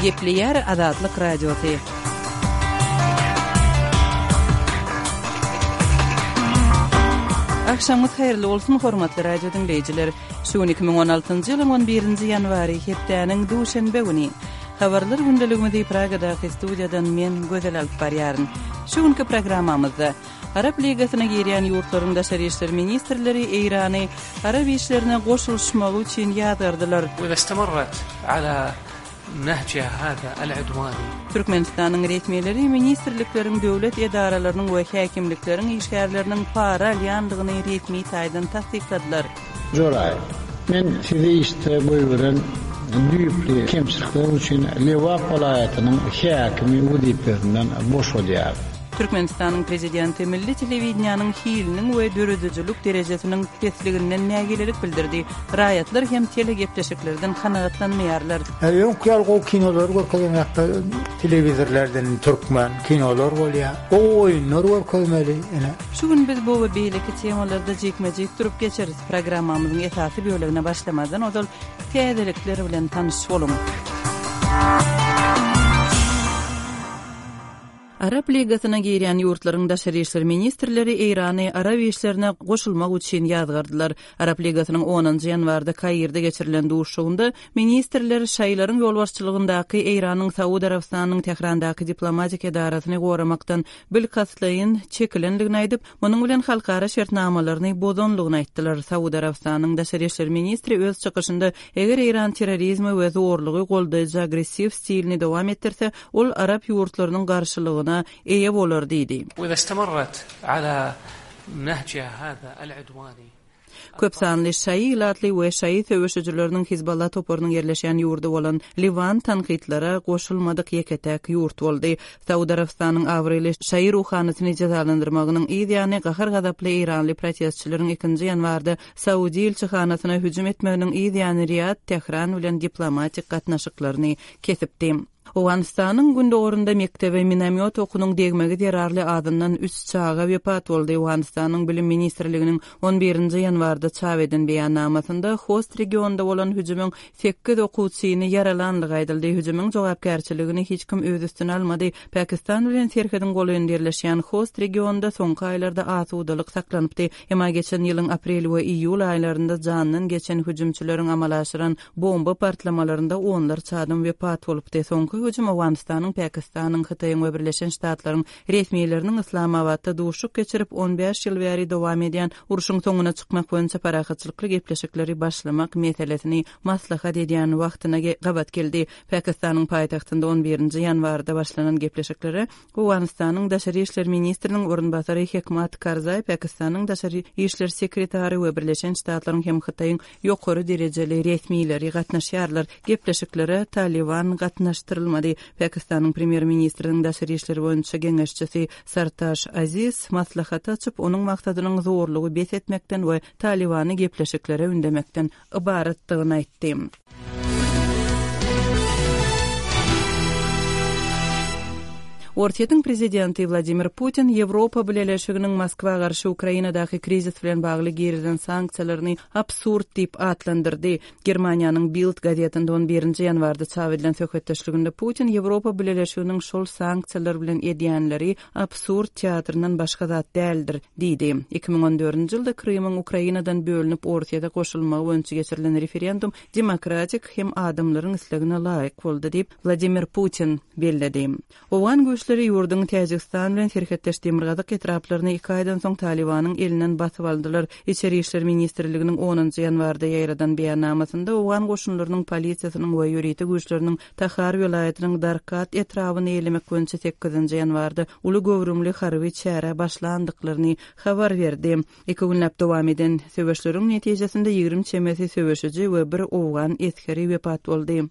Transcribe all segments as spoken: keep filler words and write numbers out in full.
Gepleýär Azatlyk Radiosy. Agşamyňyz haýyrly bolsun, hormatly radio diňleýjiler. Şu gün iki müň on altynjy ýylyň on birinji ýanwary, hepdäniň duşenbe güni. Habarlar gündeligimizi Pragadaky studiýadan men, Gözel alyp barýaryn. Şu günki programmamyzda Arap Ligasyna girýän ýurtlaryň daşary işler ministrleri Eýrany arap işlerine goşulyşmagy üçin ýazgardylar. Türkmenistanyň resmileri ministrlikleriň, döwlet edaralarynyň we häkimlikleriň işgärleriniň para alýandygyny resmi taýdan tassykladylar. Joraýew, men sizi işde goýberen düýpli kemçilikler üçin Lebap welaýatynyň häkimi wezipesinden boşadýaryn. Türkmenistanyň Prezidenti milli telewideniýäniň hiliniň we döredijilik derejesiniň pesliginden nägilelik bildirdi. Raýatlar hem telegepleşiklerden kanagatlanmaýarlar. Öňki ýaly gowy kinolary görkezenokda telewizorlardan türkmen kinolar bolýar. Gowy oýunlar görkezmeli ine. Şu gün biz bu we beýleki temalarda jikme-jik durup geçeris. Programmamyzyň esasy bölegine başlamazdan ozal täzelikler bilen tanyş boluň. Arap Ligasyna girýän ýurtlaryň daşary işler ministrleri Eýrany arap işlerine goşulmak üçin ýazgardylar. Arap Ligasynyň onunjy ýanwarda Kairde geçirilen duşuşygynda ministrler şaýylaryň ýolbaşçylygyndaky Eýranyň Saud Arabystanynyň Tährandaky diplomatik edarasyny goramakdan bilkastlaýyn çekilendigini aýdyp, munuň bilen halkara şertnamalaryny bozanlygyny aýtdylar. Saud Arabystanynyň daşary işler ministri öz çykyşynda eger Eýran terrorizmi we zorlugy goldaýjy agressiw stilini dowam etdirse, ol arap ýurtlarynyň garşylygyna eýe bolar diýdi. Köp sanly şaýy ilatly we şaýy söweşijileriniň Hizballah toparynyň ýerleşýän ýurdy bolan Liwan tankytlara goşulmadyk ýeke-täk ýurt boldy. Saud Arabystanyň abraýly şaýy ruhanysyny jezalandyrmagynyň yz ýany gahar-gazaply eýranly protestçileriň ikinji ýanwarda Saudi ilçihanasyna hüjüm etmeginiň yz ýany Riýad Tähran bilen diplomatik gatnaşyklaryny kesipdi. Owganystanyň gündogarynda mekdebe minomýot okunyň degmegi zerarly azyndan üç çaga wepat boldy. Owganystanyň Bilim ministrliginiň on birinji ýanwarda çap eden beýannamasynda Host regionynda bolan hüjümiň sekiz okuwçyny ýaralanlygy aýdyldy. Hüjümiň jogapkärçiligini hiç kim öz üstüne almady. Pakistan bilen serhediň golaýynda ýerleşýän Host regionynda soňky aýlarda asudalyk saklanypdy. Emma geçen ýylyň aprel we iýul aýlarynda jandan geçen hüjümçileriň amala aşyran bomba partlamalarynda onlarça adam wepat bolupdy. Soňky hüjüm Owganystanyň, Pakistanyň, Hytaýyň we Birleşen Ştatlaryň resmileriniň Yslamabatda duşuşyk geçirip, on bäş ýyl bäri dowam edýän urşuň soňuna çykmak boýunça parahatçylykly gepleşikleri başlamak meselesini maslahat edýän wagtyna gabat geldi. Pakistanyň paýtagtynda on birinji ýanwarda başlanan gepleşiklere Owganystanyň daşary işler ministriniň orunbasary Hekmat Karzaý, Pakistanyň daşary işler sekretary we Birleşen Ştatlaryň hem Hytaýyň ýokary derejeli resmileri gatnaşýarlar. Gepleşiklere Taliban gatnaşdyrylmady. Pakistanyň premýer-ministriniň daşary işler boýunça geňeşçisi Sartaş Aziz maslahaty açyp, onuň maksadynyň zorlugy bes etmekden we Talibany gepleşiklere ündemekden ybaratdygyny aýtdy. Orsýetiň prezidenti Wladimir Putin Ýewropa Bileleşiginiň Moskwa garşy Ukrainadaky krizis bilen bagly girizen sanksiýalaryny absurd diýip atlandyrdy. Germaniýanyň Bild gazetinde on birinji ýanwarda çap edilen söhbetdeşliginde Putin Ýewropa Bileleşiginiň şol sanksiýalar bilen edýänleri absurd teatryndan başga zat däldir diýdi. Iki müň on dördünji ýylda Krymyň Ukrainadan bölünip Orsýete goşulmagy boýunça geçirilen referendum demokratik hem adamlaryň islegine laýyk boldy diýip Wladimir Putin belledi. Owgan güýçleri ýurduň Täjigistan bilen serhetdeş demirgazyk etraplaryny iki aýdan soň Talibanyň elinden basyp aldylar. Içeri işler ministrliginiň onunjy ýanwarda ýaýradan beýannamasynda owgan goşunlarynyň polisiýasynyň we ýörite güýçleriniň Tahar welaýatynyň Darkat etrabyny eýelemek boýunça sekizinji ýanwarda uly göwrümli harby çäre başlandyklaryny habar berdi. Iki günläp dowam eden söweşleriň netijesinde ýigrimi çemesi söweşiji we bir owgan esgeri wepat boldy.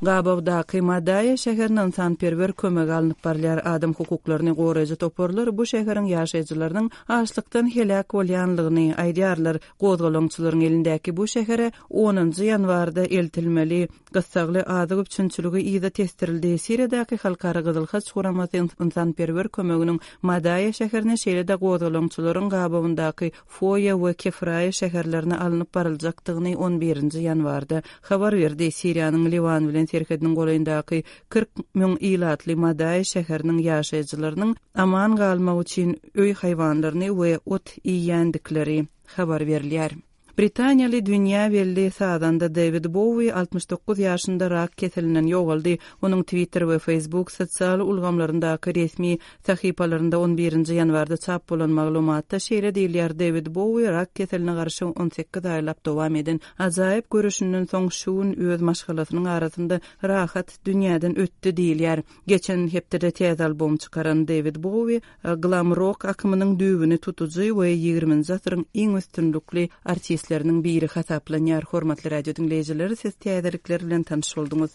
Gabawdaky Madaýa şäherine ynsanperwer kömegi alnyp barylýar. Adam hukuklaryny goraýjy toparlar bu şäheriň ýaşaýjylarynyň açlykdan heläk bolýanlygyny aýdýarlar. Gozgalaňçylaryň elindäki bu şähere onunjy ýanwarda eltilmeli gyssagly azyk üpjünçiligi yza tesdirildi. Siriýadaky Halkara Gyzyl Haç guramasy ynsanperwer kömeginiň Madaýa şäherine şeýle-de gozgalaňçylaryň gabawyndaky Foýa we Kefraýa şäherlerine alnyp baryljakdygyny on birinji ýanwarda habar berdi. Siriýanyň Liwan bilen serhediniň golaýyndaky kyrk müň ilatly Madaýa şäheriniň ýaşaýjylarynyň aman galmak üçin öý haýwanlaryny we ot iýýändikleri habar berilýär. Britaniýaly dünýä belli sazanda David Bowie altmyş dokuz ýaşynda rak keselinden ýogaldy. Onuň Twitter we Facebook sosial ulgamlaryndaky resmi sahypalarynda on birinji ýanwarda çap bolan maglumatda şeýle diýilýär: David Bowie rak keseline garşy on sekiz aýlap dowam eden ajaýyp göreşinden soň şu gün öz maşgalasynyň arasynda rahat dünýäden ötdi diýilýär. Geçen hepdede täze albom çykaran David Bowie glam rock akymynyň düwüni tutujy we ýigriminji asyryň iň üstünlikli artistleriniň biri hasaplanýar. Hormatly radio diňleýjiler, siz täzelikler bilen tanyş bolduňyz.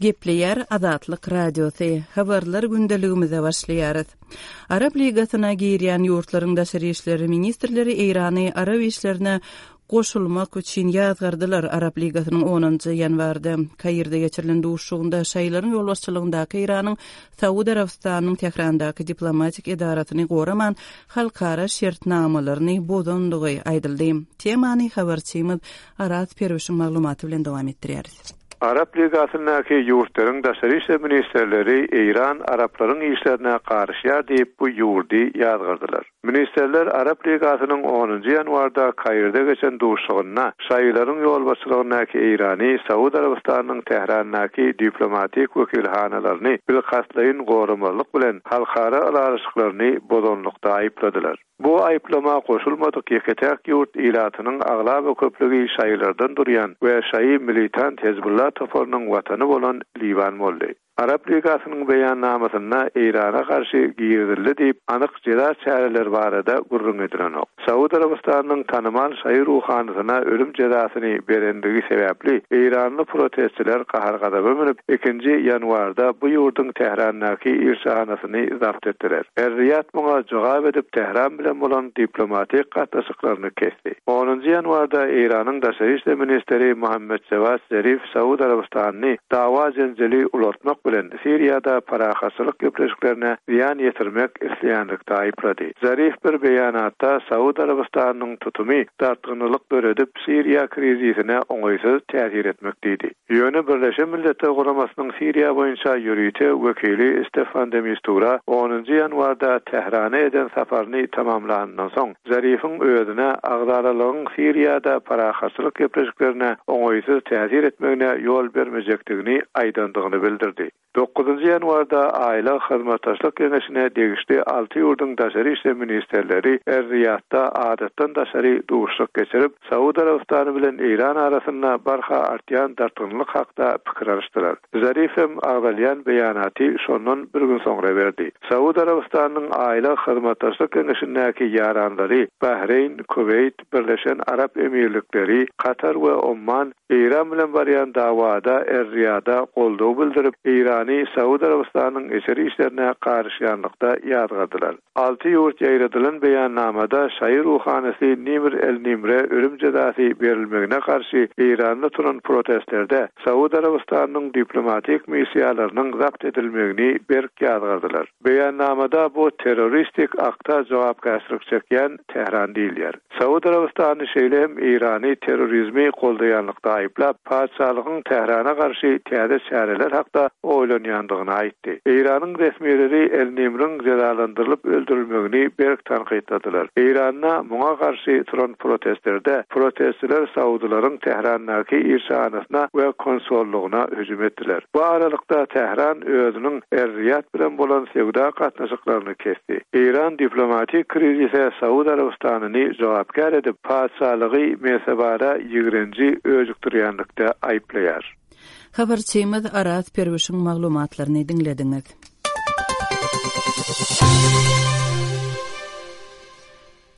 Gepleýär Azatlyk Radiosy. Habarlar gündeligimize başlaýarys. Arap Ligasyna girýän ýurtlaryň daşary işleri ministrleri Eýrany arap işlerine goşulmak üçin ýazgardylar. Arap Ligasynyň onunjy ýanwarda Kairde geçirilen duşuşygynda şaýlaryň ýolbaşçylygyndaky Eýranyň Saud Arabystanynyň Tährandaky diplomatik edarasyny goraman halkara şertnamalaryny bozandygy aýdyldy. Temany habarçymyz Araz Perwişiň maglumaty bilen dowam etdirýäris. Arap Ligasyndaky ýurtlaryň daşary işler ministrleri Eýran araplaryň işlerine garyşýar diýip bu ýurdy ýazgardylar. Ministrler Arap Ligasynyň onunjy ýanwarda Kairde geçen duşuşygynda şaýlaryň ýolbaşçylygyndaky Eýrany Saud Arabystanynyň Tährandaky diplomatik wekilhanalaryny bilkastlaýyn goramazlyk bilen halkara ylalaşyklaryny bozanlykda aýypladylar. Bu aýyplama goşulmadyk ýeke-täk ýurt ilatynyň aglaba köplügi şaýlardan durýan we şaýy militant Hezbollah toparynyň watany bolan Liwan boldy. Arap Ligasynyň beýannamasynda Eýrana garşy girizildi diýip anyk jeza çäreleri barada gürrüň edilenok. Saud Arabystanynyň tanymal şaýy ruhanysyna ölüm jezasyny berendigi sebäpli Eýranly protestçiler gahar-gazaba münüp ikinji ýanwarda bu ýurduň Tährandaky ilçihanasyny zabt etdiler. Er-Riyad muňa jogap edip Tähran bilen bolan diplomatik gatnaşyklaryny kesdi. Onunjy ýanwarda Eýranyň daşary işler ministri Muhammed Jawad Zarif Saud Arabystanyny dawa jenjeli ulatmak bilen Siriýada parahatçylyk gepleşiklerine zyýan ýetirmek isleýänlikde aýyplady. Zarif bir beýanatda Saud Arabystanynyň tutumy dartgynlyk döredip Siriýa krizisine oňaýsyz täsir etmek diýdi. Ýöne Birleşen Milletler Guramasynyň Siriýa boýunça ýörite wekili Stefan de Mistura onunjy ýanwarda Tährana eden saparyny tamamlandan soň Zarifiň özüne agzalalygyň Siriýada parahatçylyk gepleşiklerine oňaýsyz täsir etmegine ýol bermejekdigini aýdandygyny bildirdi. Dokuzunjy ýanwarda Aýla Hyzmatdaşlyk Geňeşine degişli alty ýurduň daşary işler ministrleri Er-Riyadda adatdan daşary duşuşyk geçirip, Saud Arabystany bilen Eýran arasynda barha artýan dartgynlyk hakda pikir alyşdylar. Zarif hem agzalýan beýanaty şondan bir gün soňra berdi. Saud Arabystanynyň Aýla Hyzmatdaşlyk Geňeşindäki ýaranlary Bahreýn, Kuweýt, Birleşen Arap Emirlikleri, Katar we Omman Eýran bilen barýan dawada Er-Riyada goldaw bildirip, Eýrany Saud Arabystanynyň içeri işlerine garyşýanlykda ýazgardylar. Alty ýurt ýaýradylan beýannamada şaýy ruhanysy Nimr el-Nimre ölüm jezasy berilmegine garşy Eýranda turan protestlerde Saud Arabystanynyň diplomatik missiýalarynyň zabt edilmegini berk ýazgardylar. Beýannamada bu terroristik akta jogapkärçilik çekýän Tähran diýilýär. Saud Arabystany şeýle hem Eýrany terrorizmi goldaýanlykda aýyplap, patyşalygyň Tährana garşy täze çäreler hakda oýlanýandygyny aýtdy. Eýranyň resmileri El-Nimriň jezalandyrylyp öldürilmegini berk tankytladylar. Eýranda muňa garşy turan protestlerde protestçiler Saudylaryň Tährandaky ilçihanasyna we konsollugyna hüjüm etdiler. Bu aralykda Tähran özüniň Er-Riyad bilen bolan söwda gatnaşyklaryny kesdi. Eýran diplomatik krizise Saud Arabystanyny jogapkär edip, patyşalygy mensebara ýigrenji öjükdirýänlikde aýyplaýar. Habarçymyz Araz Perwişiň maglumatlaryny diňlediňiz.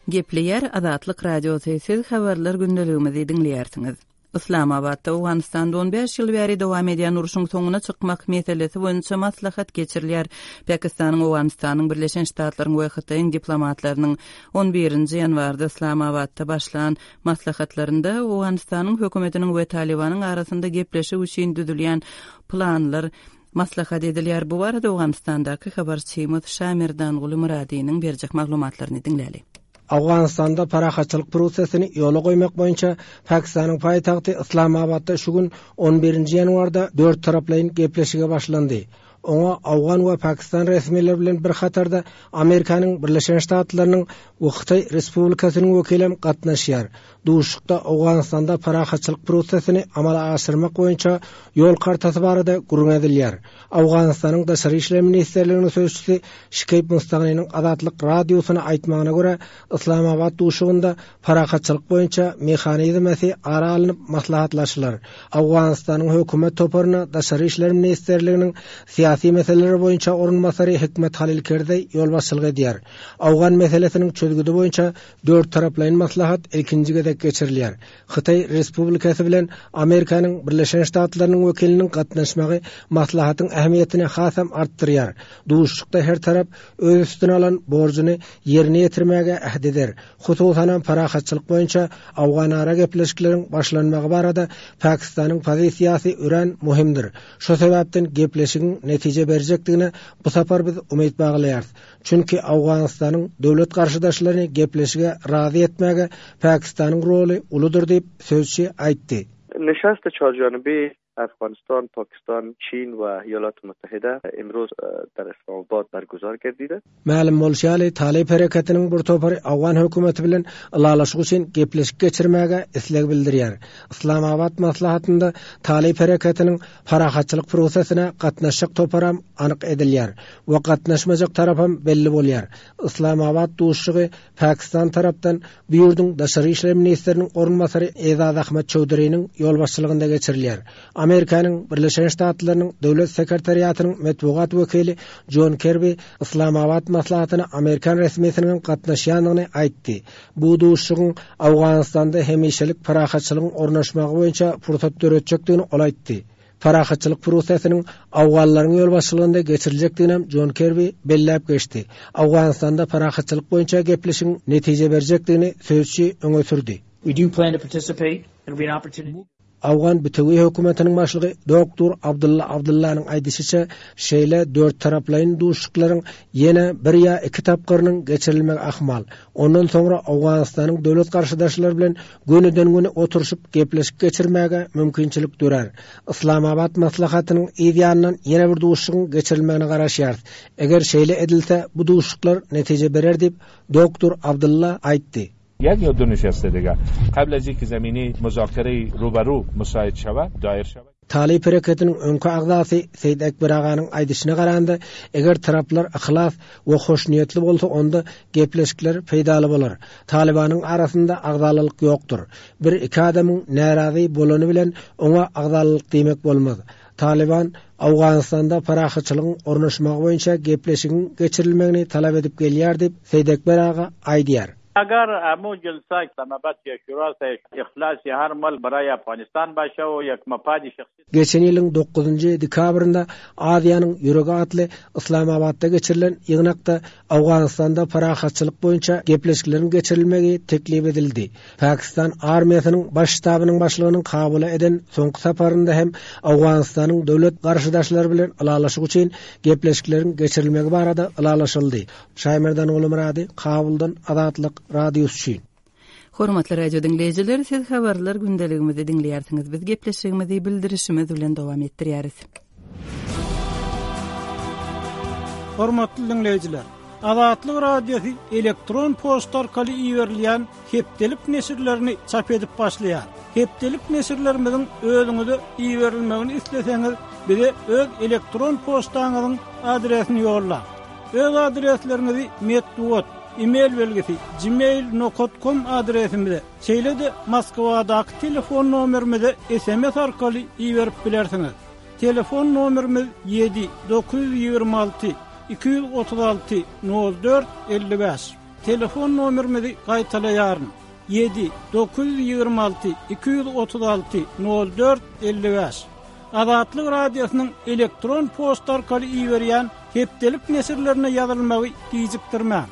Gepleýär Azatlyk Radiosy, siz habarlar gündeligimizi diňleýärsiňiz. Yslamabatda Owganystanda on bäş ýyl bäri dowam edýän urşuň soňuna çykmak meselesi boýunça maslahat geçirilýär. Pakistanyň, Owganystanyň, Birleşen Ştatlaryň we Hytaýyň diplomatlarynyň on birinji ýanwarda Yslamabatda başlan maslahatlarynda Owganystanyň hökümetiniň we Talybanyň arasynda gepleşik üçin düzülýän planlar maslahat edilýär. Bu barada Owganystandaky habarçymyz Şamerdanguly Myradynyň berjek maglumatlaryny diňläli. Owganystanda parahatçylyk prosesini ýola goýmak boýunça Pakistanyň paýtagty Yslamabatda şu gün on birinji ýanwarda dört taraplaýyn gepleşige başlandy. Oňa Owgan we Pakistan resmileri bilen bir hatarda Amerikanyň Birleşen Ştatlarynyň we Hytaý Respublikasynyň wekili gatnaşýar. Duşuşykda Owganystanda parahatçylyk prosesini amala aşyrmak boýunça ýol kartasy barada gürrüň edilýär. Owganystanyň Daşary işler ministrliginiň sözçüsi Şikeýb Mustagynyň Azatlyk radiosyna aýtmagyna görä, Yslamabat duşuşygynda parahatçylyk boýunça mehanizmesi ara alnyp maslahatlaşylar. Owganystanyň hökümet toparyna Daşary işler ministrliginiň syýasy meseleler boýunça orunbasary Hikmet Halil Kerzeý ýolbaşçylyk edýär. Owgan meselesiniň çözgüdi boýunça dört taraplaýyn maslahat ilkinji gezek geçirilýär. Hytaý Respublikasy bilen Amerikanyň Birleşen Ştatlarynyň wekiliniň gatnaşmagy maslahatyň ähmiýetini hasam artdyrýar. Duşuşykda her tarap öz üstüne alan borjuny ýerine ýetirmäge ähd eder. Hususan parahatçylyk boýunça Owganara gepleşikleriň başlanmagy barada Pakistanyň pozisiýasy örän möhümdir. Şu sebäpden gepleşigiň netije berjekdigine bu sapar biz umyt baglaýarys. Çünki Owganystanyň döwlet garşydaşlaryny gepleşige razy etmäge Pakistanyň roly uludyr diýip sözçi aýtdy. Nişast çarjanbi Afghanistan, Pakistan, Çin we Iýalat Muttahida imroz der Islamabad berguzar gerdide. Mälim bolşy ýaly, Talyp hereketiniň bir topary Owgan hökümeti bilen ylalaşyk üçin gepleşik geçirmäge isleg bildirýär. Islamabad maslahatynda Talyp hereketiniň parahatçylyk prosesine gatnaşjak toparam anyk edilýär we gatnaşmajak tarapam belli bolýar. Islamabad duşuşygy Pakistan tarapdan bu ýurduň Daşary işler ministriniň orunbasary Ezaz Ahmed Çowduriniň ýolbaşçylygynda geçirilýär. Amerikanyň Birleşen Ştatlarynyň Döwlet sekretariatynyň metbugat wekili John Kirby Islamabad maslahatyna Amerikan resmisiniň gatnaşýandygyny aýtdy. Bu duşuşygyň Owganystanda hemişelik parahatçylygyň ornaşmagy boýunça pursat döretjekdigini ol aýtdy. Parahatçylyk prosesiniň Owganlaryň ýolbaşçylygynda geçiriljekdigini John Kirby belläp geçdi. Owganystanda parahatçylyk boýunça gepleşigiň netije berjekdigini sözçi öňe sürdi. We do plan to participate. It'll be an opportunity. Owgan bütewi hökümetiniň başlygy Doktor Abdulla Abdullanyň aýdyşyça, şeýle dört taraplaýyn duşuşyklaryň ýene bir ýa iki tapgyrynyň geçirilmegi ahmal. Ondan soňra Owganystanyň döwlet garşydaşlary bilen gönüden-göni oturyşyp gepleşik geçirmäge mümkinçilik dörär. Islamabad maslahatynyň yz ýanyndan ýene bir duşuşygyň geçirilmegine garaşýarys. Eger şeýle edilse, bu duşuşyklar netije berer diýip Doktor Abdulla aýtdy. یک یا دو نشسته دیگه قبل از اینکه زمینه مذاکره روبرو مساعد شود دایر شود. Talyp hereketiniň öňki agzasy Seýid Ekber aganyň aýdyşyna garanda, eger taraplar yhlas we hoşniýetli bolsa, onda gepleşikler peýdaly bolar. Talybanyň arasynda agzalylyk ýokdur. Bir iki adamyň närazy bolany bilen oňa agzalylyk diýmek bolmaz. Talyban Owganystanda parahatçylygyň ornaşmagy boýunça gepleşigiň geçirilmegini talap edip gelýär diýip Seýid Ekber aga aýdýar. اگر امو جلسه اسلام آباد یا شورا سے اخلاص هر ملک برای افغانستان باشه و یک مفاد شخصی Geçen ýylyň dokuzynjy dekabrynda Aziýanyň ýüregi atly Islamabadda geçirilen ýygnakda Owganystanda parahatçylyk boýunça gepleşikleriň geçirilmegi teklip edildi. Pakistan armiýasynyň baş ştabynyň başlygynyň Kabula eden soňky saparynda hem Owganystanyň döwlet garşydaşlary bilen ylalaşyk üçin gepleşikleriň geçirilmegi barada ylalaşyldy. Şaýmerdan Ulumyrady, Kabuldan Azatlyk Radiosy üçin. Hormatly radio diňleýjiler, siz habarlar gündeligimizi diňleýärsiňiz. Biz gepleşigimizi bildirişimiz bilen dowam etdirýäris. Hormatly diňleýjiler, Azatlyk Radiosy elektron poçta arkaly iberilýän hepdelik neşirlerini çap edip başlaýar. Hepdelik neşirlerimiziň özüňize iberilmegini isleseňiz, bize öz elektron poçtaňyzyň adresini ýollaň. Öz adresleriňizi metbugat, e-mail belgisi gmail nokta com adresimize, şeýle-de Moskwadaky telefon nomerimize S M S arkaly iberip bilersiňiz. Telefon nomerimiz ýedi dokuz ýüz ýigrimi alty iki ýüz otuz alty nol dört elli bäş. Telefon nomerimizi gaýtalaýaryn. Ýedi, dokuz ýüz ýigrimi alty, iki ýüz otuz alty, nol dört, elli bäş. Azatlyk Radiosynyň elektron poçta arkaly iberýän hepdelik neşirlerine ýazylmagy gijikdirmäň.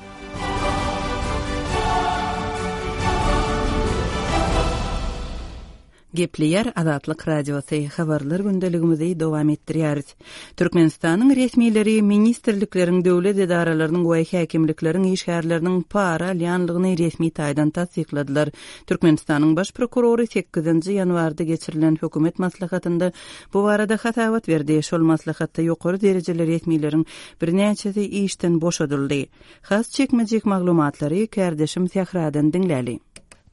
Gepleýär Azatlyk Radiosy, habarlar gündeligimizi dowam etdirýäris. Türkmenistanyň resmileri ministrlikleriň, döwlet edaralarynyň we häkimlikleriň işgärleriniň para alýanlygyny resmi taýdan tassykladylar. Türkmenistanyň baş prokurory sekizinji ýanwarda geçirilen hökümet maslahatynda bu barada hasabat berdi. Şol maslahatda ýokary derejeli resmileriň birnäçesi işden boşadyldy. Has çekmejek maglumatlary kärdeşim Sähradan diňläli.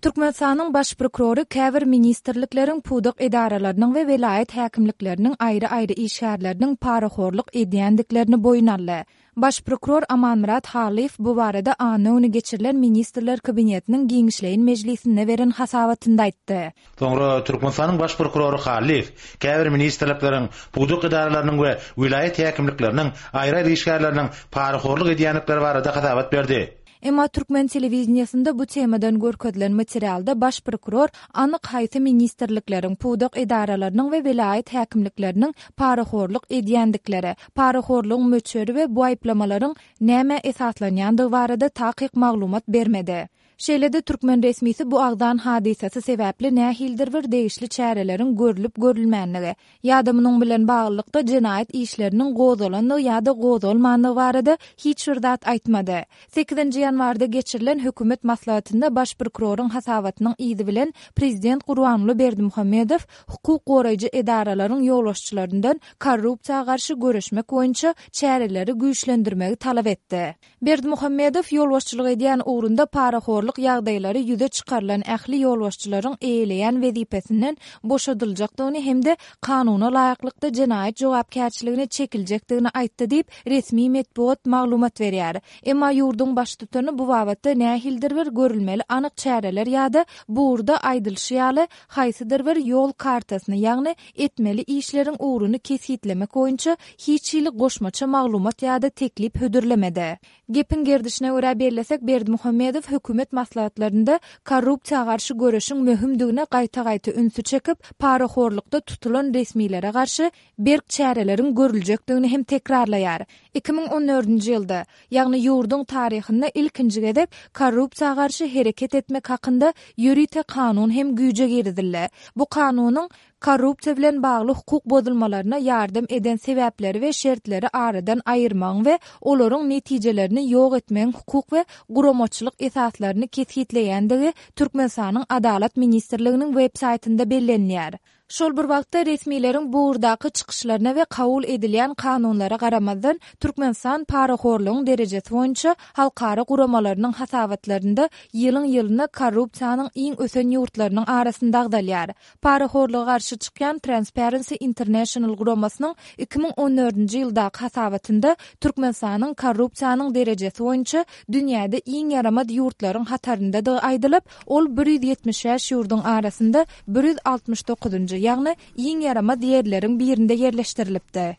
Türkmenistanyň baş prokurory käbir ministrlikleriň, pudak edaralarynyň we welaýat häkimlikleriniň aýry-aýry işgärleriniň parahorluk edýändiklerini boýun aldy. Baş prokuror Amanmyrat Halyýew bu barada anna güni geçirilen Ministrler Kabinetiniň giňişleýin mejlisinde beren hasabatynda aýtdy. Soňra Türkmenistanyň baş prokurory Halyýew käbir ministrlikleriň, pudak edaralarynyň we welaýat häkimlikleriniň aýry-aýry işgärleriniň parahorluk edýändikleri barada hasabat berdi. Emma türkmen telewideniýesinde bu temadan görkezilen materialda baş prokuror anyk haýsy ministrlikleriň, pudak edaralarynyň we welaýat häkimlikleriniň parahorluk edýändikleri, parahorlugyň möçberi we bu aýyplamalaryň nämä esaslanýandygy barada takyk maglumat bermedi. Şeýle-de türkmen resmisi bu agzan hadysasy sebäpli nähilidir bir degişli çäreleriň görlüp-görülmänligi ýa-da munuň bilen baglylykda jenaýat işleriniň gozgalandygy ýa-da gozgalmandygy barada hiç bir zat aýtmady. Sekizinji ýanwarda geçirilen hökümet maslahatynda baş prokuroryň hasabatynyň yzy bilen prezident Gurbanguly Berdimuhamedow hukuk goraýjy edaralaryň ýolbaşçylaryndan korrupsiýa garşy göreşmek boýunça çäreleri güýçlendirmegi talap etdi. Berdimuhamedow ýolbaşçylyk edýän ugrunda parahorluk ýagdaýlary ýüze çykarylan ähli ýolbaşçylaryň eýeleýän wezipesinden boşadyljakdygyny hem-de kanuna laýyklykda jenaýat jogapkärçiligine çekiljekdigini aýtdy diýip, resmi metbugat maglumat berýär. Emma ýurduň baştutany bu babatda nähilidir bir görülmeli anyk çäreler ýa-da bu ugurda aýdylyşy ýaly haýsydyr bir ýol kartasyny, ýagny etmeli işleriň ugruny kesgitlemek boýunça hiç hili goşmaça maglumat ýa-da teklip hödürlemedi. Gepiň gerdişine görä bellesek, Berdimuhamedow hökümet maslahatlarynda korrupsiýa garşy göreşiň möhümdigine gaýta-gaýta ünsi çekip, parahorlukda tutulan resmilere garşy berk çäreleriň görüljekdigini hem tekrarlaýar. Iki müň on dördünji ýylda, ýagny ýurduň taryhynda ilkinji gezek korrupsiýa garşy hereket etmek hakynda ýörite kanun hem güýje girizildi. Bu kanunyň korrupsiýa bilen bagly hukuk bozulmalaryna ýardam eden sebäpleri we şertleri aradan aýyrmagyň we olaryň netijelerini ýok etmegiň hukuk we guramaçylyk esaslaryny kesgitleýändigi Türkmenistanyň Adalat ministrliginiň web saýtynda bellenilýär. Şol bir wagtda resmileriň bu ugurdaky çykyşlaryna we kabul edilýän kanunlara garamazdan, Türkmenistan parahorlugyň derejesi boýunça halkara guramalarynyň hasabatlarynda ýylyň-ýylyna korrupsiýanyň iň ösen ýurtlarynyň arasynda agzalýar. Parahorluga garşy çykýan Transparency International guramasynyň iki müň on dördünji ýyldaky hasabatynda Türkmenistanyň korrupsiýanyň derejesi boýunça dünýäde iň ýaramaz ýurtlaryň hataryndadygy aýdylyp, ol bir ýüz ýetmiş bäş ýurduň arasynda bir ýüz altmyş dokuzynjy, ýagny iň ýaramaz ýerleriň birinde ýerleşdirilipdi.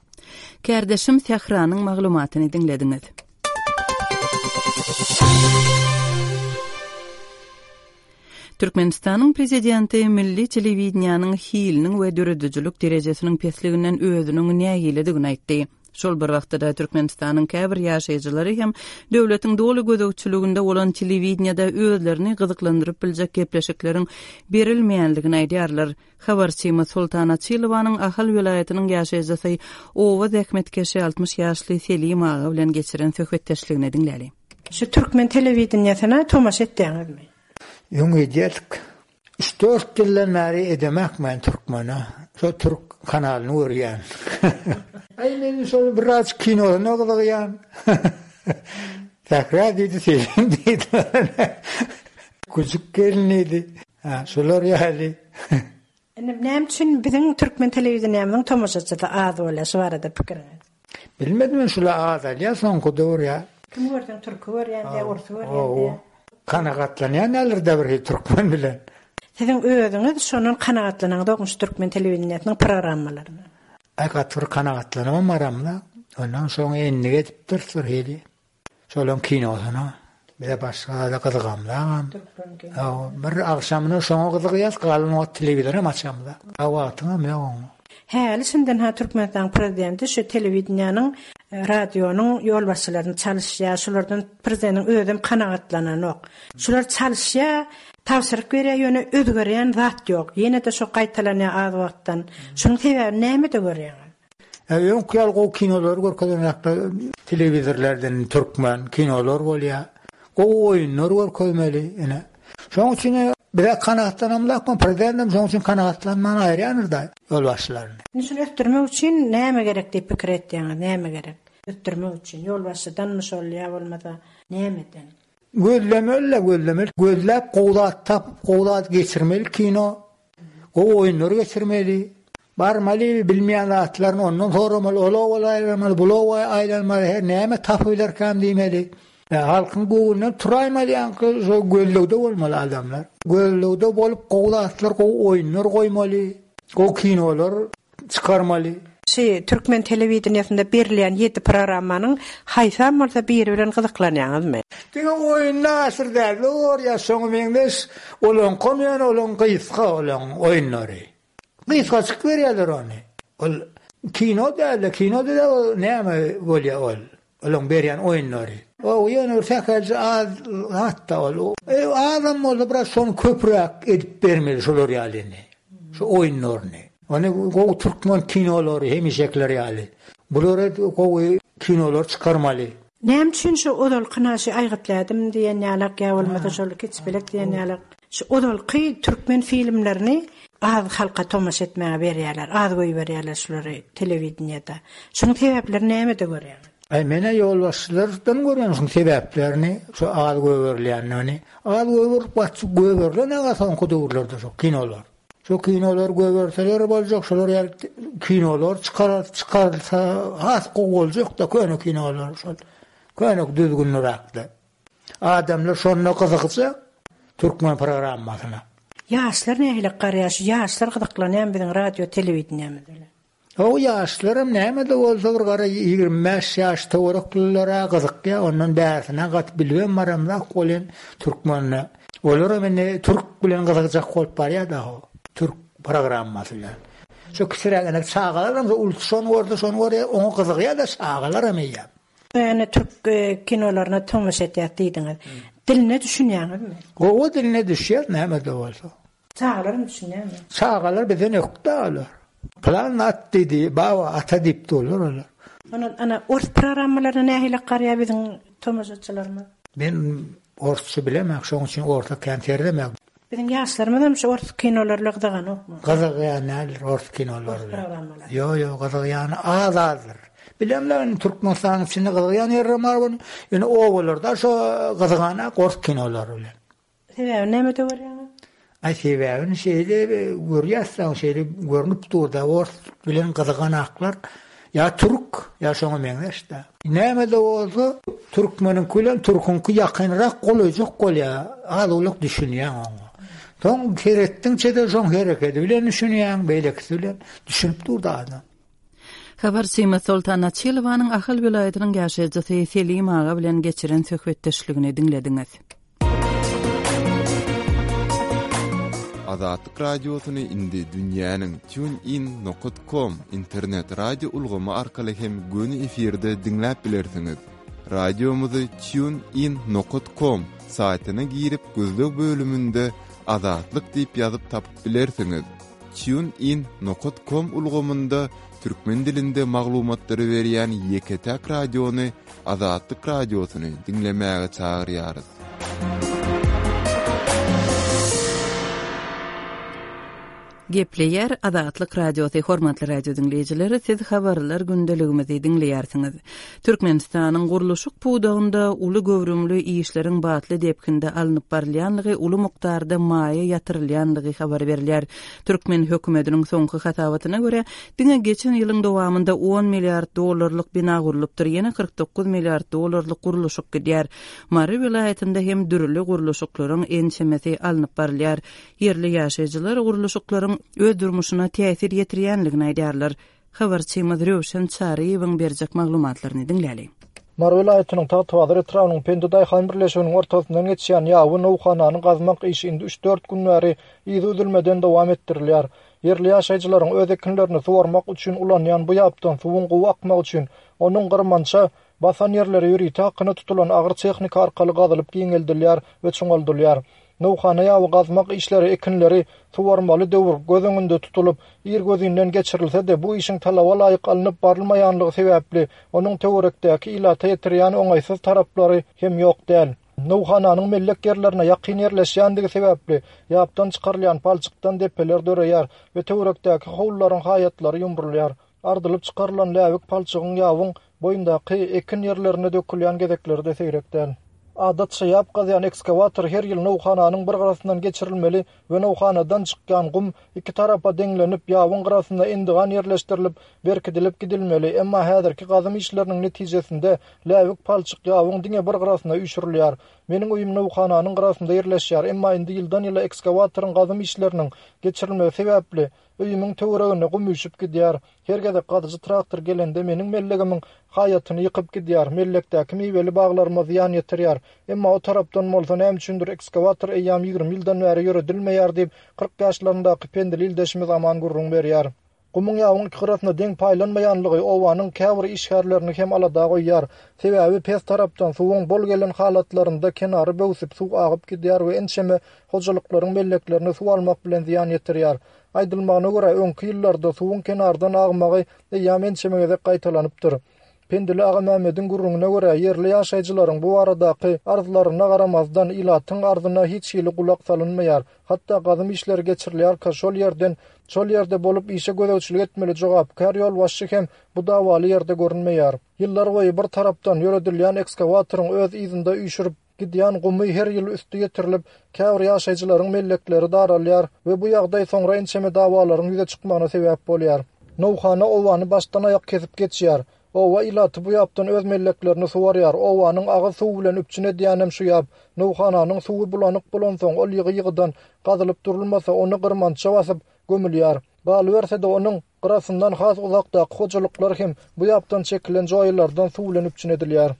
Kärdeşim Sähranyň maglumatyny diňlediňiz. Türkmenistanyň prezidenti milli telewideniýäniň hiliniň we döredijilik derejesiniň pesliginden özüniň nägiledigini aýtdy. Şol bir wagtda-da Türkmenistanyň käbir ýaşaýjylary hem döwletiň doly gözegçiliginde bolan telewideniýede özlerini gyzyklandyryp biljek gepleşikleriň berilmeýänligini aýdýarlar. Habarçymyz Sultan Açylowanyň Ahal welaýatynyň ýaşaýjysy oba zähmetkeşi altmyş ýaşly Selim aga bilen geçiren söhbetdeşligini diňläli. Şu türkmen telewideniýesine tomaşa etýäňizmi? Öň edýärdik. Üç dört ýyldan bäri edemek men türkmene. Şo türk kanalyny görýän. Aý men şol biraz kinosyna gyzygýan. Sähra diýdi, Selim diýdi. Küçük gelin diýdi. Ha, şolar ýaly. Indi näme üçin biziň türkmen telewideniýamyzyň tomaşaçysy az bolýar, şu barada pikiriňiz? Bilmedim men şular az alýar soňky döwür ýa. Kim görseň türki görýän diýä, orsy görýän diýä. Kanagatlanýan ýalyr-da bir hil türkmen bilen. Siziň özüňiz şondan kanagatlanaňyzokmy şu türkmen telewideniýesiniň programmalaryna? Aý gaty bir kanagatlanamam aramda. Ondan soň endik edipdir bir hili. Şolaň kinosyna. Bize başga zada gyzygamzagam. Bir agşamyna şoňa gyzygýas, galan wagt telewizoram açamzak. A wagtyňam ýok oňa. Häli şinden ha Türkmenistanyň prezidenti şu telewideniýäniň, radionyň ýolbaşçylaryny çalyşýar, şulardan prezidentiň özem kanagatlananok. Şular çalyşýar, tabşyryk berýär, ýöne özgerýän zat ýok. Ýene-de şo gaýtalanýar az wagtdan. Şunuň sebäbini nämede görýäňiz? Öňki ýaly gowy kinolary görkezenoklar, telewizorlardan türkmen kinolar bolýar. Gowy oýunlar görkezmeli ine. Şonuň üçin bize kanagatlanamzok, prezidentem şonuň üçin kanagatlanman aýyrýandyr-da ýolbaşçylaryny. Indi şuny ösdürmek üçin näme gerek diýip pikir etýäňiz, näme gerek? Ösdürmek üçin ýolbaşçydanmy şol ýa bolmasa nämeden? Gözlemeli-le, gözlemeli. Gözläp gowy zat tapyp, gowy zat geçirmeli kino. Gowy oýunlary geçirmeli. Barmaly, bilmeýän zatlaryny ondan soramaly, ol oba aýlanmaly, bul oba aýlanmaly, her näme tapyp bilerkäm diýmeli. Halkyň göwnünden turaýmaly ýaňky şo gözlegde bolmaly adamlar. Gözlegde bolup gowy zatlar, gowy oýunlar goýmaly, gowy kinolar çykarmaly. Şu türkmen telewideniýesinde berilýän ýedi programmanyň haýsam bolsa biri bilen gyzyklanýaňyzmy? Diňe oýunda aşyr däl, ýa şoňa meňzeş, olaňkam ýöne olaň gysga olaň oýunlary. Gysgaçyk berýärler ony. Ol kino däl-de, kino däl ol näme bolýar ol? Olaň berýän oýunlary. O ýöne bir sähelçe az hatda ol. E, azam bolsa biraz şony köpräk edip bermeli şolar ýalyny. Şu oýunlaryny. Ony gowy türkmen kinolary hemişekiler ýaly. Bulara gowy kinolar çykarmaly. Näme üçin şu ozalky naşy aýgytladym diýen ýalak ýa bolmasa şol kiçipelek diýen ýalak şu ozalky türkmen filmlerini az halka tomaşa etmäge berýärler, az goýberýärler şulary telewideniýede. Şunuň sebäpleri nämede görýäňiz? Aý menä ýolbaşçylardan görýän şuň sebäplerini, şu az goýberilýänini. Az goýberip gaçyp goýberilen aga soňky döwürlerde şu kinolar. Şu kinolar goýberseler boljak, şolar ýaly kinolar çykarar, çykarylsa has gowy boljak da köne kinolar şol. Köne düzgünliräkde. Adamlar şonda gyzygjak türkmen programmasyna. Ýaşlar nähili garaýar? Şu ýaşlar gyzyklanýar biziň radio telewideniýemiz bilen. O ýaşlaram näme-de bolsa bir gara ýigrimi bäş ýaş töwerekliler-ä gyzykýar, ondan bärsine gaty bilibem baramzak welin türkmenine. Olaram indi türk bilen gyzygjak bolup barýar-da ho, türk programmasy bilen. Şo kiçiräk ene çagalaram şo ulusy şony görse şony görýär, oňa gyzygýar-da çagalaram eýýäm. Ýöne türk kinolaryna tomaşa etýäs diýdiňiz. Diline düşünýäňizmi? Gowy diline düşýär näme-de bolsa. Çagalaram düşünýärmi? Çagalar bizden ökde olar. Plan at diýdi, baba ata diýip durlar olar. Ondan ana ors programmalaryna nähili garaýar biziň tomaşaçylarymyz? Men orsça bilemok, şonuň üçin orsa kän serdemok. Biziň ýaşlarymyz hem şu ors kinolary bilen gyzyganokmy? Gyzygýan däldir ors kinolary bilen. Ýok, ýok, gyzygýany az-azdyr. Bilemler indi Türkmenistanyň içinde gyzygýan ýerler bar bolun, ýöne obalarda şo gyzyganak ors kinolary bilen. Sebäbini nämede görýäňiz? Aý sebäbini şeýle görýäs-de, şeýle görnüp dur-da, ors bilen gyzyganaklar ýa türk, ýa şoňa meňzeş-de. Näme-de bolsa, türkmeniňki bilen türküňki ýakynrak golaýjak bolýar, az-owlak düşünýäň oňa. Soň seretdiňçe-de şoň herekedi bilen düşünýäň, beýlekisi bilen düşünip dur-da adam. Habarçymyz Soltan Açylowanyň Ahal welaýatynyň ýaşaýjysy Selim aga bilen geçiren söhbetdeşligini diňlediňiz. Azatlyk Radiosyny indi dünýäniň TuneIn nokat com internet radio ulgamy arkaly hem göni efirde diňläp bilersiňiz. Radiomyzy TuneIn nokat com saýtyna girip gözleg bölüminde Azatlyk diýip ýazyp tapyp bilersiňiz. TuneIn nokat com ulgamynda türkmen dilinde maglumatlary berýän ýeke-täk radiony Azatlyk Radiosyny diňlemäge çagyrýarys. Gepleýär Azatlyk Radiosy hormatly radio diňleýjiler, siz habarlar gündeligimizi diňleýärsiňiz. Türkmenistanyň gurluşyk pudagynda uly göwrümli işleriň batly depginde alnyp barylýanlygy, uly mukdarda maýa ýatyrylýanlygy habar berilýär. Türkmen hökümetiniň soňky hasabatyna görä, diňe geçen ýylyň dowamynda on milliard dollarlyk bina gurlupdyr, ýene kyrk dokuz milliard dollarlyk gurluşyk gidýär. Mary welaýatynda hem dürli gurluşyklaryň ençemesi alnyp barylýar. Ýerli ýaşaýjylar gurluşyklaryň öz durmuşyna täsir ýetirýänligini aýdýarlar. Habarçymyz Röwşen Çaryýewiň berjek maglumatlaryny diňläli. Mary welaýatynyň Tagtabazar etrabynyň Pendi daýhan birleşiginiň ortasyndan geçýän ýawy nowhanany gazmak işi indi üç-dört gün bäri yzy üzülmeden dowam etdirilýär. Ýerli ýaşaýjylaryň öz ekinlerini suwarmak üçin ulanýan bu ýapdan suwuň gowy akmagy üçin onuň gyrmança basan ýerleri ýörite hakyna tutulan agyr tehnika arkaly gazylyp giňeldilýär we çuňaldylýar. Nowhana ýawy gazmak işleri ekinleri suwarmaly döwür göz öňünde tutulyp, irgözinden geçirilse-de, bu işiň talaba laýyk alnyp barylmaýanlygy sebäpli, onuň töwerekdäki ilata ýetirýän oňaýsyz taraplary hem ýok däl. Nowhananyň mellek ýerlerine ýakyn ýerleşýändigi sebäpli, ýapdan çykarylýan palçykdan depeler döreýär we töwerekdäki howlularyň haýatlary ýumrulýar. Ardylyp çykarylan läbik palçygyň ýabyň boýundaky ekin ýerlerine dökülýän gezekleri-de seýrek däl. Adatça ýap gazýan ekskawator her ýyl nowhananyň bir gyrasyndan geçirilmeli we nowhanadan çykýan gum iki tarapa deňlenip, ýabyň gyrasynda endigan ýerleşdirilip, berkidilip gidilmeli. Emma häzirki gazym işleriniň netijesinde läbik palçyk ýabyň diňe bir gyrasyna üýşürilýär. Meniň öýüm nowhananyň gyrasynda ýerleşýär, emma indi ýyldan-ýyla ekskawatoryň gazym işleriniň geçirilmegi sebäpli öýümiň töweregine gum üýşüp gidýär. Her gezek gazyjy traktor gelende meniň mellegimiň haýatyny ýykyp gidýär, mellekdäki miweli baglaryma zyýan ýetirýär. Emma o tarapdan bolsa näme üçindir ekskawator eýýäm ýigrimi ýyldan bäri ýöredilmeýär diýip, kyrk ýaşlaryndaky pendili ildeşimiz Aman gürrüň berýär. Gumuň ýabyň iki gyrasyna deň paýlanmaýanlygy obanyň käbir işgärlerini hem alada goýýar. Sebäbi pes tarapdan suwuň bol gelen halatlarynda kenary böwsüp suw agyp gidýär we ençeme hojalyklaryň melleklerine suw almak bilen zyýan ýetirýär. Aýdylmagyna görä, öňki ýyllarda suwuň kenardan agmagy eýýäm ençeme gezek gaýtalanypdyr. Pendili Agamämmediň gürrüňine görä, ýerli ýaşaýjylaryň bu baradaky arzlaryna garamazdan ilatyň arzyna hiç hili gulak salynmaýar. Hatda gazym işleri geçirilýärkä şol ýerden şol ýerde bolup işe gözegçilik etmeli jogapkär ýolbaşçy hem bu dawaly ýerde görünmeýär. Ýyllar boýy bir tarapdan ýöredilýän ekskawatoryň öz yzynda üýşürip gidýän gumy her ýyl üsti ýetirilip, käbir ýaşaýjylaryň mellekleri daralýar we bu ýagdaý soňra ençeme dawalaryň ýüze çykmagyna sebäp bolýar. Nowhana owany başdan aýak kesip geçýär. Owa ilaty bu ýapdan öz melleklerini suwarýar. Owanyň agyz suwy bilen üpjün edýänem şu ýap. Nowhananyň suwy bulanyk bolansoň, ol ýygy-ýygydan gazylyp durulmasa, ony gyrmança basyp gömülýär. Galyberse-de onuň gyrasyndan has uzakdaky hojalyklar hem bu ýapdan çekilen joýalardan suw bilen üpjün edilýär.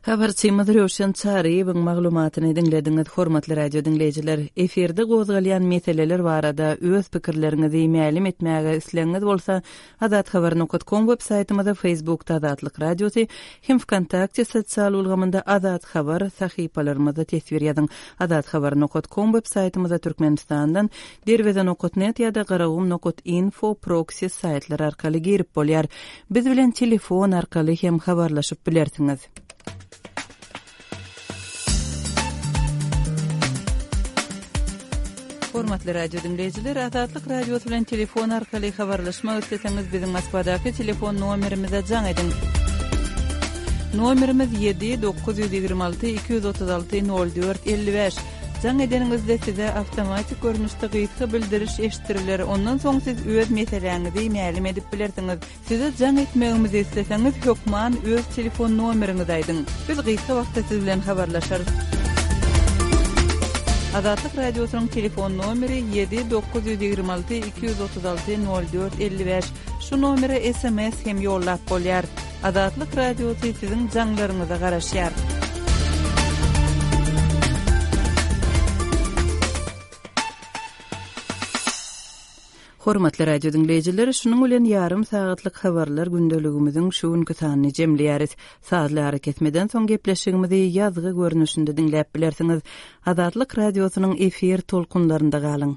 Habarçymyz Röwşen Çaryýewiň maglumatyny diňlediňiz, hormatly radio diňleýjiler. Efirde gozgalýan meseleler barada öz pikirleriňizi mälim etmäge islegiňiz bolsa, azathabar nokta com web saýtymyzda, Facebookda Azatlyk Radiosy hem VKontakte sosial ulgamynda Azat Habar sahypalarymyzda teswir ýazyň. Azathabar nokta com web saýtymyzda Türkmenistandan derweze nokta net ýa-da garagum nokta info proxy saýtlary arkaly girip bolýar. Biz bilen telefon arkaly hem habarlaşyp bilersiňiz. Hormatly radio diňleýjiler, Azatlyk Radiosy bilen telefon arkaly habarlaşmak isleseňiz, biziň Moskwadaky telefon nomerimize jaň ediň. Nomerimiz ýedi dokuz ýüz ýigrimi alty iki ýüz otuz alty nol dört elli bäş. Jaň edeniňizde size awtomatik görnüşde gysga bildiriş eşitdiriler. Ondan soň siz öz meseläňizi mälim edip bilersiňiz. Size jaň etmegimizi isleseňiz, hökman öz telefon nomeriňizi aýdyň. Biz gysga wagtda siz bilen habarlaşarys. Azatlyk Radiosynyň telefon nomeri ýedi dokuz ýüz ýigrimi alty iki ýüz otuz alty nol dört elli bäş. Şu nomere S M S hem ýollap bolýar. Azatlyk Radiosy siziň jaňlaryňyza garaşýar. Hormatly radio diňleýjiler, şunuň bilen ýarym sagatlyk habarlar gündeligimiziň şu günki sanyny jemleýäris. Sazly ara kesmeden soň gepleşigimizi ýazgy görnüşinde diňläp bilersiňiz. Azatlyk Radiosynyň efir tolkunlarynda galyň.